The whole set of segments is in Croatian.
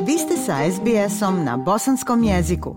Vi ste sa SBS-om na bosanskom jeziku.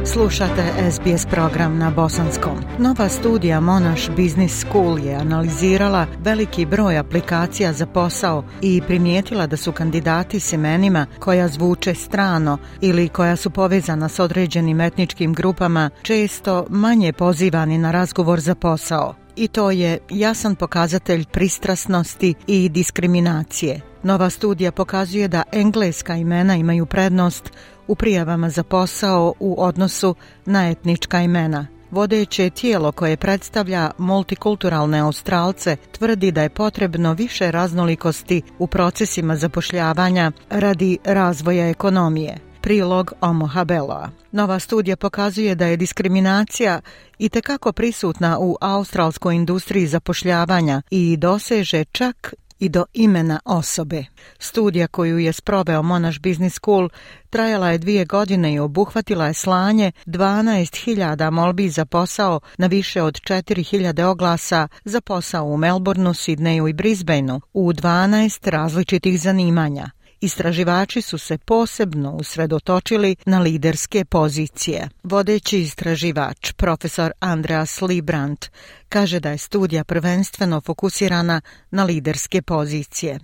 Slušate SBS program na bosanskom. Nova studija Monash Business School je analizirala veliki broj aplikacija za posao i primijetila da su kandidati s imenima koja zvuče strano ili koja su povezana s određenim etničkim grupama često manje pozivani na razgovor za posao. I to je jasan pokazatelj pristrasnosti i diskriminacije. Nova studija pokazuje da engleska imena imaju prednost u prijavama za posao u odnosu na etnička imena. Vodeće tijelo koje predstavlja multikulturalne Australce tvrdi da je potrebno više raznolikosti u procesima zapošljavanja radi razvoja ekonomije. Prilog Omo Habeloa. Nova studija pokazuje da je diskriminacija itekako prisutna u australskoj industriji zapošljavanja i doseže čak i do imena osobe. Studija koju je sproveo Monash Business School trajala je 2 godine i obuhvatila je slanje 12.000 molbi za posao na više od 4.000 oglasa za posao u Melbourneu, Sidneju i Brisbaneu u 12 različitih zanimanja. Istraživači su se posebno usredotočili na liderske pozicije. Vodeći istraživač, profesor Andreas Librand, kaže da je studija prvenstveno fokusirana na liderske pozicije.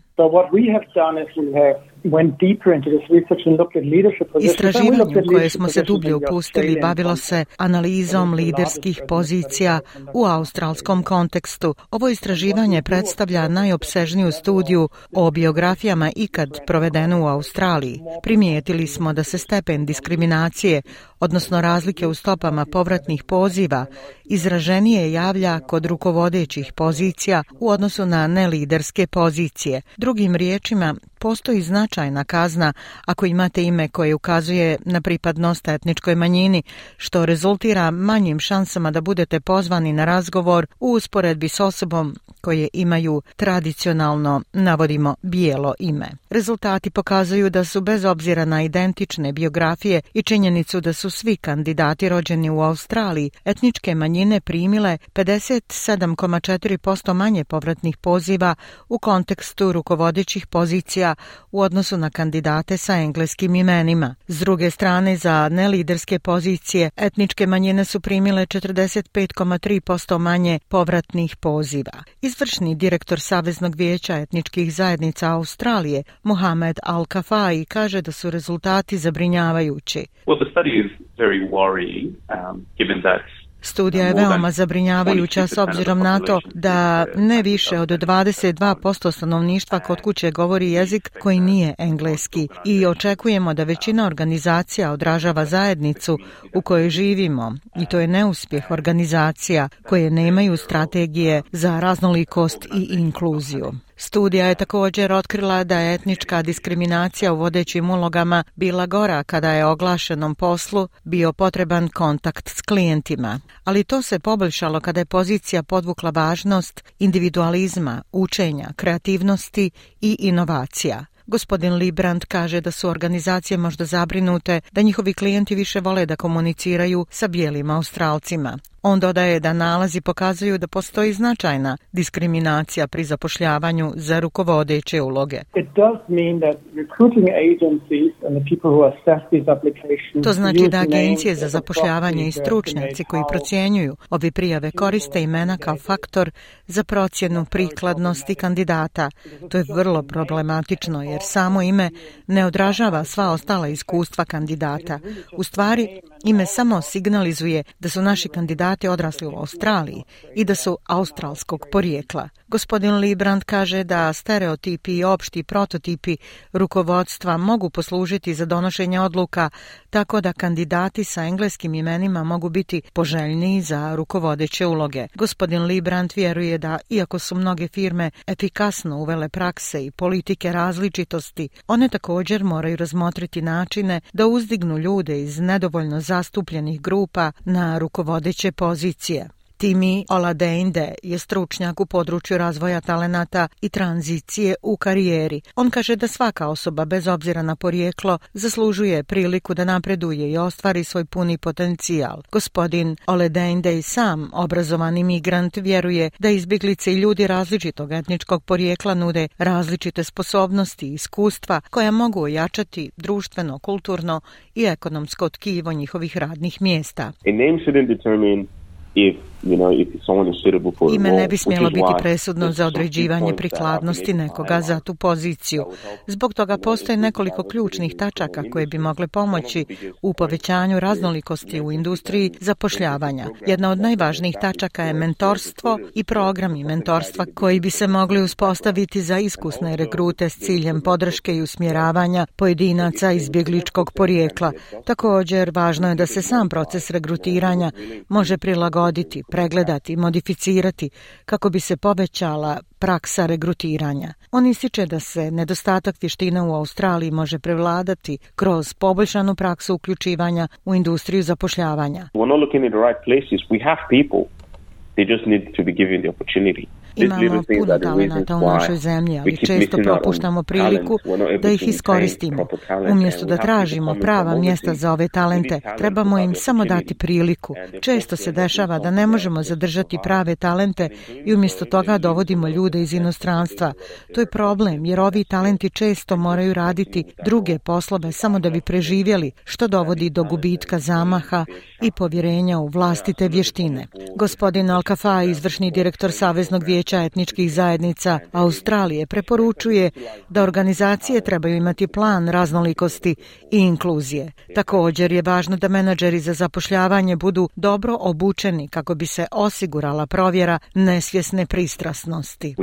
Istraživanje u koje smo se dublje upustili bavilo se analizom liderskih pozicija u australskom kontekstu. Ovo istraživanje predstavlja najopsežniju studiju o biografijama ikad provedenu u Australiji. Primijetili smo da se stepen diskriminacije, odnosno razlike u stopama povratnih poziva, izraženije javlja kod rukovodećih pozicija u odnosu na neliderske pozicije. Drugim riječima, postoji značajna kazna ako imate ime koje ukazuje na pripadnost etničkoj manjini, što rezultira manjim šansama da budete pozvani na razgovor u usporedbi s osobom koje imaju tradicionalno, navodimo, bijelo ime. Rezultati pokazuju da su bez obzira na identične biografije i činjenicu da su svi kandidati rođeni u Australiji, etničke manjine primile 57,4% manje povratnih poziva u kontekstu rukovodećih pozicija u odnosu na kandidate sa engleskim imenima. S druge strane, za neliderske pozicije etničke manjine su primile 45,3% manje povratnih poziva. Izvršni direktor Saveznog vijeća etničkih zajednica Australije, Mohamed Al-Kafai, kaže da su rezultati zabrinjavajući. Studija je veoma zabrinjavajuća s obzirom na to da ne više od 22% stanovništva kod kuće govori jezik koji nije engleski i očekujemo da većina organizacija odražava zajednicu u kojoj živimo i to je neuspjeh organizacija koje nemaju strategije za raznolikost i inkluziju. Studija je također otkrila da je etnička diskriminacija u vodećim ulogama bila gora kada je oglašenom poslu bio potreban kontakt s klijentima, ali to se poboljšalo kada je pozicija podvukla važnost individualizma, učenja, kreativnosti i inovacija. Gospodin Librand kaže da su organizacije možda zabrinute da njihovi klijenti više vole da komuniciraju sa bijelim Australcima. On dodaje da nalazi pokazuju da postoji značajna diskriminacija pri zapošljavanju za rukovodeće uloge. To znači da agencije za zapošljavanje i stručnjaci koji procjenjuju ove prijave koriste imena kao faktor za procjenu prikladnosti kandidata. To je vrlo problematično jer samo ime ne odražava sva ostala iskustva kandidata. U stvari, ime samo signalizuje da su naši kandidati odrasli u Australiji i da su australskog porijekla. Gospodin Librand kaže da stereotipi i opšti prototipi rukovodstva mogu poslužiti za donošenje odluka tako da kandidati sa engleskim imenima mogu biti poželjniji za rukovodeće uloge. Gospodin Librand vjeruje da, iako su mnoge firme efikasno uvele prakse i politike različitosti, one također moraju razmotriti načine da uzdignu ljude iz nedovoljno zastupljenih grupa na rukovodeće pozicije. Timi Oladeinde je stručnjak u području razvoja talenata i tranzicije u karijeri. On kaže da svaka osoba, bez obzira na porijeklo, zaslužuje priliku da napreduje i ostvari svoj puni potencijal. Gospodin Oladeinde i sam, obrazovani migrant, vjeruje da izbjeglice i ljudi različitog etničkog porijekla nude različite sposobnosti i iskustva koja mogu ojačati društveno, kulturno i ekonomsko tkivo njihovih radnih mjesta. Ime ne bi smjelo biti presudno za određivanje prikladnosti nekoga za tu poziciju. Zbog toga postoje nekoliko ključnih tačaka koje bi mogle pomoći u povećanju raznolikosti u industriji zapošljavanja. Jedna od najvažnijih tačaka je mentorstvo i programi mentorstva koji bi se mogli uspostaviti za iskusne regrute s ciljem podrške i usmjeravanja pojedinaca izbjegličkog porijekla. Također, važno je da se sam proces regrutiranja može prilagoditi, pregledati, modificirati kako bi se povećala praksa regrutiranja. On ističe da se nedostatak vještina u Australiji može prevladati kroz poboljšanu praksu uključivanja u industriju zapošljavanja. Imamo puno talenata u našoj zemlji, ali često propuštamo priliku da ih iskoristimo. Umjesto da tražimo prava mjesta za ove talente, trebamo im samo dati priliku. Često se dešava da ne možemo zadržati prave talente i umjesto toga dovodimo ljude iz inostranstva. To je problem, jer ovi talenti često moraju raditi druge poslove samo da bi preživjeli, što dovodi do gubitka zamaha i povjerenja u vlastite vještine. Gospodin Al-Kafai, izvršni direktor Saveznog vijeća etničkih zajednica Australije, preporučuje da organizacije trebaju imati plan raznolikosti i inkluzije. Također je važno da menadžeri za zapošljavanje budu dobro obučeni kako bi se osigurala provjera nesvjesne pristrasnosti.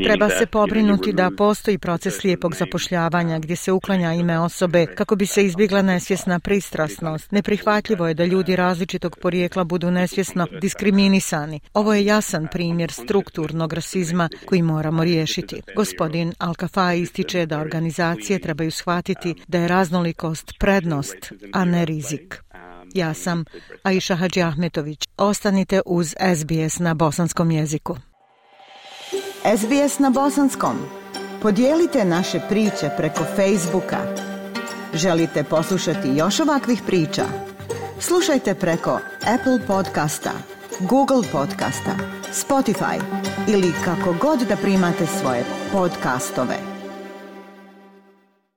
Treba se pobrinuti da postoji proces slijepog zapošljavanja gdje se uklanja ime osobe kako bi se izbjegla nesvjesna pristrasnost. Neprihvatljivo je da ljudi različitog porijekla budu nesvjesno diskriminisani. Ovo je jasan primjer strukturnog rasizma koji moramo riješiti. Gospodin Al-Kafai ističe da organizacije trebaju shvatiti da je raznolikost prednost, a ne rizik. Ja sam Aisha Hadži Ahmetović. Ostanite uz SBS na bosanskom jeziku. SBS na bosanskom. Podijelite naše priče preko Facebooka. Želite poslušati još ovakvih priča? Slušajte preko Apple podcasta, Google podcasta, Spotify ili kako god da primate svoje podcastove.